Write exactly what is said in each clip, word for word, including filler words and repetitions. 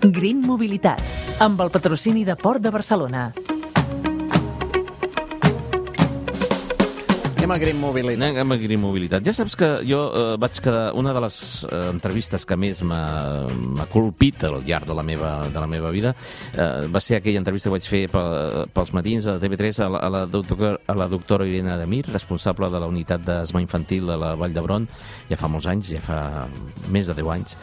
Green Mobilitat, amb el patrocini de Port de Barcelona. Anem a Green Mobilitat. Anem a Green Mobilitat. Ja saps que jo eh, vaig quedar... Una de les eh, entrevistes que més m'ha m'ha colpit al llarg de la meva, de la meva vida eh, va ser aquella entrevista que vaig fer pel, pels matins a T V tres a la, a, la doctor, a la doctora Irene Ademir, responsable de la unitat d'asma infantil de la Vall d'Hebron, ja fa molts anys, ja fa més de deu anys,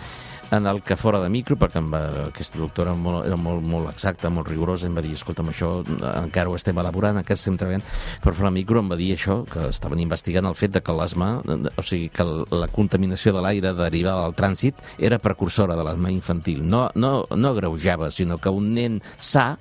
en el que fora de micro, perquè em va, aquesta doctora molt, era molt, molt exacta, molt rigorosa, em va dir, escolta'm, això encara ho estem elaborant, encara estem treballant, però fora de micro em va dir això, que estaven investigant el fet de que l'asma, o sigui, que la contaminació de l'aire derivada del trànsit era precursora de l'asma infantil. No, no, no agreujava, sinó que un nen sa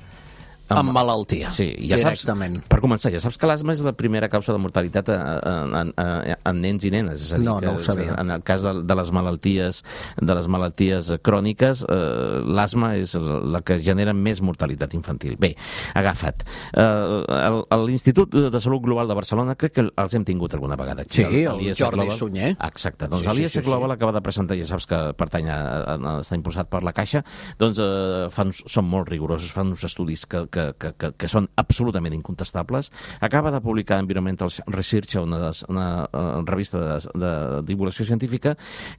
Amb malaltia, sí, ja directament. Saps, per començar, ja saps que l'asma és la primera causa de mortalitat en, en, en, en nens i nenes. És a dir, no, que no ho sabia. En el cas de, de les malalties de les malalties cròniques, eh, l'asma és la que genera més mortalitat infantil. Bé, agafa't. Eh, L'Institut de Salut Global de Barcelona, crec que els hem tingut alguna vegada aquí. Sí, el, el Jordi Global. Sunyer. Exacte. Doncs sí, l'I S sí, sí, Global sí. acaba de presentar, ja saps que pertany a, a, està impulsat per la Caixa, doncs eh, fan, són molt rigorosos, fan uns estudis que, que Que, que, que, que són absolutament incontestables. Acaba de publicar Environmental Research, una, una, una revista de, de divulgació científica,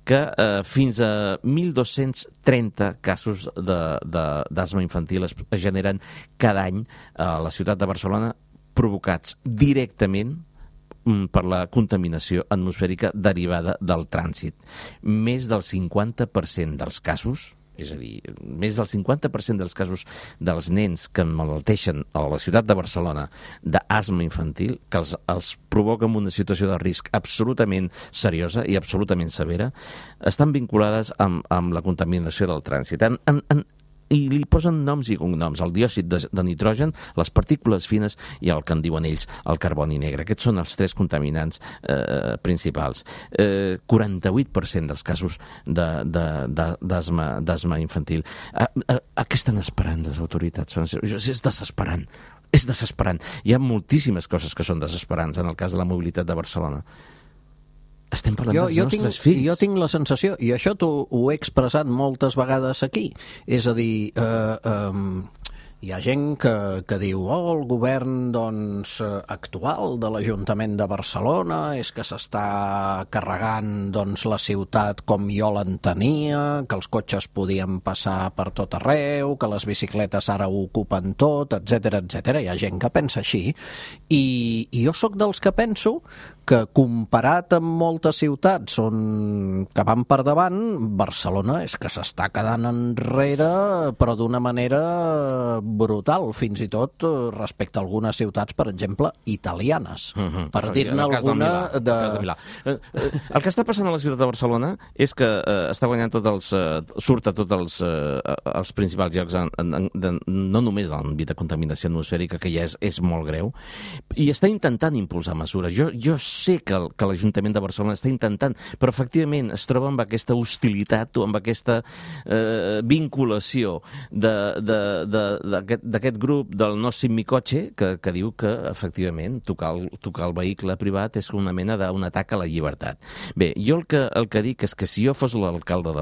que eh, fins a mil dos-cents trenta casos d'asma infantil es, es generen cada any a la ciutat de Barcelona, provocats directament per la contaminació atmosfèrica derivada del trànsit. Més del cinquanta per cent dels casos, és a dir, més del cinquanta per cent dels casos dels nens que emmalalteixen a la ciutat de Barcelona d'asma infantil, que els, els provoca una situació de risc absolutament seriosa i absolutament severa, estan vinculades amb, amb la contaminació del trànsit. En, en, en, i li posen noms i cognoms, el diòxid de, de nitrogen, les partícules fines i el que en diuen ells, el carboni negre. Aquests són els tres contaminants eh, principals. Eh, quaranta-vuit per cent dels casos d'asma infantil. A, a, a què estan esperant les autoritats? És desesperant. És desesperant. Hi ha moltíssimes coses que són desesperants en el cas de la mobilitat de Barcelona. Estem parlant jo, dels jo nostres tinc, fills. Jo tinc la sensació, i això t'ho ho he expressat moltes vegades aquí, és a dir, eh, eh, hi ha gent que, que diu oh, el govern doncs, actual de l'Ajuntament de Barcelona és que s'està carregant doncs, la ciutat com jo l'entenia, que els cotxes podien passar per tot arreu, que les bicicletes ara ho ocupen tot, etcètera, etcètera. Hi ha gent que pensa així. I, i jo sóc dels que penso que comparat amb moltes ciutats on, que van per davant, Barcelona és que s'està quedant enrere, però d'una manera brutal, fins i tot respecte a algunes ciutats, per exemple, italianes. Uh-huh. Per dir-ne alguna... De, de... El, de Milà. Eh, eh, el que està passant a la ciutat de Barcelona és que eh, està guanyant tots els... Eh, surt a tots els, eh, els principals llocs, en, en, en, no només en l'àmbit de contaminació atmosfèrica, que ja és, és molt greu, i està intentant impulsar mesures. Jo, jo sé que, el, que l'Ajuntament de Barcelona està intentant, però efectivament es troba amb aquesta hostilitat o amb aquesta eh, vinculació d'aquest grup del no Simicotxe que, que diu que efectivament tocar el, tocar el vehicle privat és una mena d'un atac a la llibertat. Bé, jo el que, el que dic és que si jo fos l'alcalde de,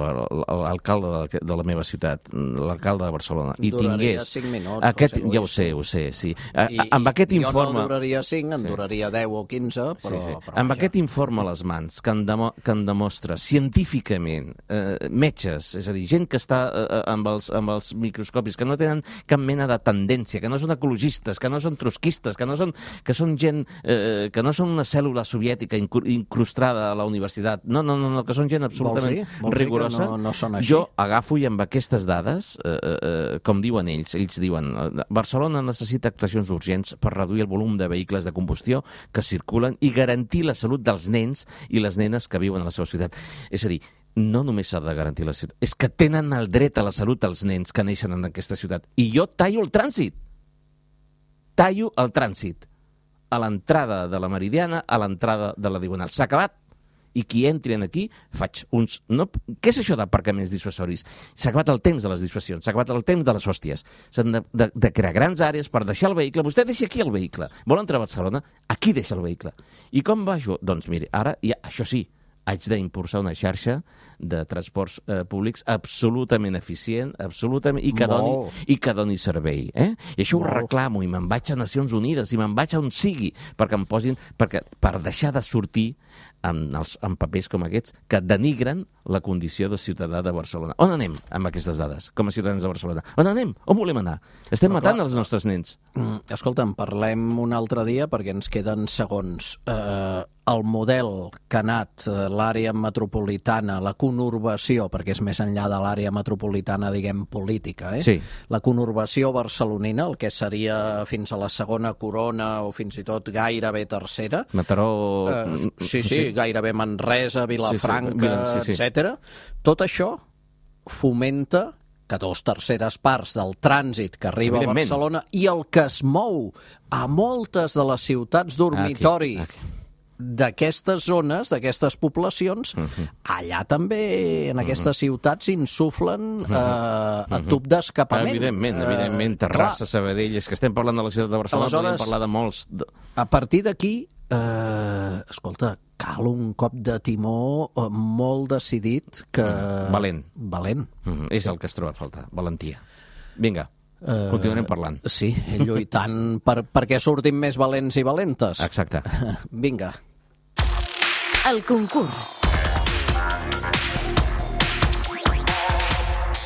l'alcalde de, de la meva ciutat, l'alcalde de Barcelona, i duraria tingués... cinc minuts, aquest, José Luis. Ja ho sé, ho sé, sí. I, amb aquest jo informe... no duraria cinc, en sí. duraria deu o quinze, però... Sí, sí. però amb vaja. aquest informe a les mans que en, demo, que en demostra científicament eh, metges, és a dir, gent que està eh, amb, els, amb els microscopis, que no tenen cap mena de tendència, que no són ecologistes, que no són trotskistes, que no són, que són gent eh, que no són una cèl·lula soviètica incrustada a la universitat, no, no, no, no que són gent absolutament Vols dir? Vols rigorosa. dir que no, no són així? Jo agafo i amb aquestes dades, eh, eh, com diuen ells, ells diuen Barcelona necessita actuacions urgents per reduir el volum de vehicles de combustió que circulen i garantir la salut dels nens i les nenes que viuen a la seva ciutat. És a dir, no només s'ha de garantir la ciutat, és que tenen el dret a la salut els nens que neixen en aquesta ciutat. I jo tallo el trànsit. Tallo el trànsit. A l'entrada de la Meridiana, a l'entrada de la Diagonal. S'ha acabat. I qui entri aquí, faig uns... No, què és això d'aparcaments dissuasoris? S'ha acabat el temps de les dissuasions, s'ha acabat el temps de les hòsties. S'han de, de, de crear grans àrees per deixar el vehicle. Vostè deixa aquí el vehicle. Vol entrar a Barcelona? Aquí deixa el vehicle. I com va això? Doncs miri, ara, ja, això sí, haig d'impulsar una xarxa de transports eh, públics absolutament eficient, absolutament, i que, doni, i que doni servei. Eh? I això Molt. Ho reclamo, i me'n vaig a Nacions Unides, i me'n vaig a on sigui, perquè em posin, perquè, per deixar de sortir amb, els, amb papers com aquests que denigren la condició de ciutadà de Barcelona. On anem amb aquestes dades, com a ciutadans de Barcelona? On anem? On volem anar? Estem Però, matant clar, els nostres nens. Escolta'm, parlem un altre dia perquè ens queden segons. Eh, el model que ha anat l'àrea metropolitana, la conurbació, perquè és més enllà de l'àrea metropolitana, diguem, política, eh? Sí. La conurbació barcelonina, el que seria fins a la segona corona o fins i tot gairebé tercera. Mataró... Eh, sí, sí, sí, gairebé Manresa, Vilafranca, sí, sí, sí, sí. etcètera. Tot això fomenta que dos terceres parts del trànsit que arriba a Barcelona i el que es mou a moltes de les ciutats dormitori aquí, aquí. d'aquestes zones, d'aquestes poblacions, uh-huh. allà també, en aquestes uh-huh. ciutats, insuflen uh-huh. eh, a tub d'escapament. Evidentment, evidentment. Terrassa, uh, Sabadell, és que estem parlant de la ciutat de Barcelona, podríem parlar de molts... A partir d'aquí, eh, escolta, cal un cop de timó molt decidit que... Uh, valent. Valent. Uh-huh. És el que es troba a faltar, valentia. Vinga. Uh, Continuarem parlant. Sí, lluitant per, perquè sortim més valents i valentes. Exacte. Vinga. El concurs.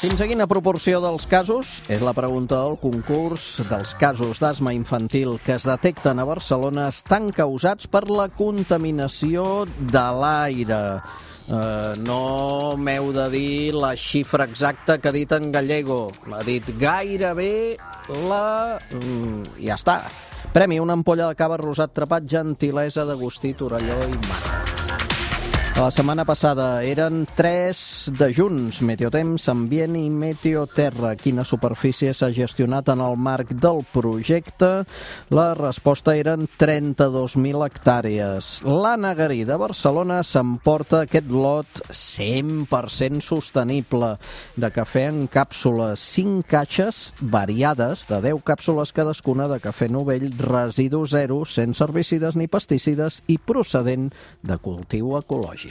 Fins a quina proporció dels casos, és la pregunta del concurs, dels casos d'asma infantil que es detecten a Barcelona estan causats per la contaminació de l'aire? Uh, no m'heu de dir la xifra exacta que ha dit en Gallego. L'ha dit gairebé la... Mm, ja està. Premi, una ampolla de cava rosat trepat, gentilesa d'Agustí Torelló i Mata. La setmana passada eren tres de junts, Meteotemps, Ambient i Meteoterra. Quina superfície s'ha gestionat en el marc del projecte? La resposta eren trenta-dos mil hectàrees. L'Anna Garí de Barcelona s'emporta aquest lot cent per cent sostenible de cafè en càpsules, cinc caixes variades de deu càpsules cadascuna de cafè novell, residu zero, sense herbicides ni pesticides i procedent de cultiu ecològic.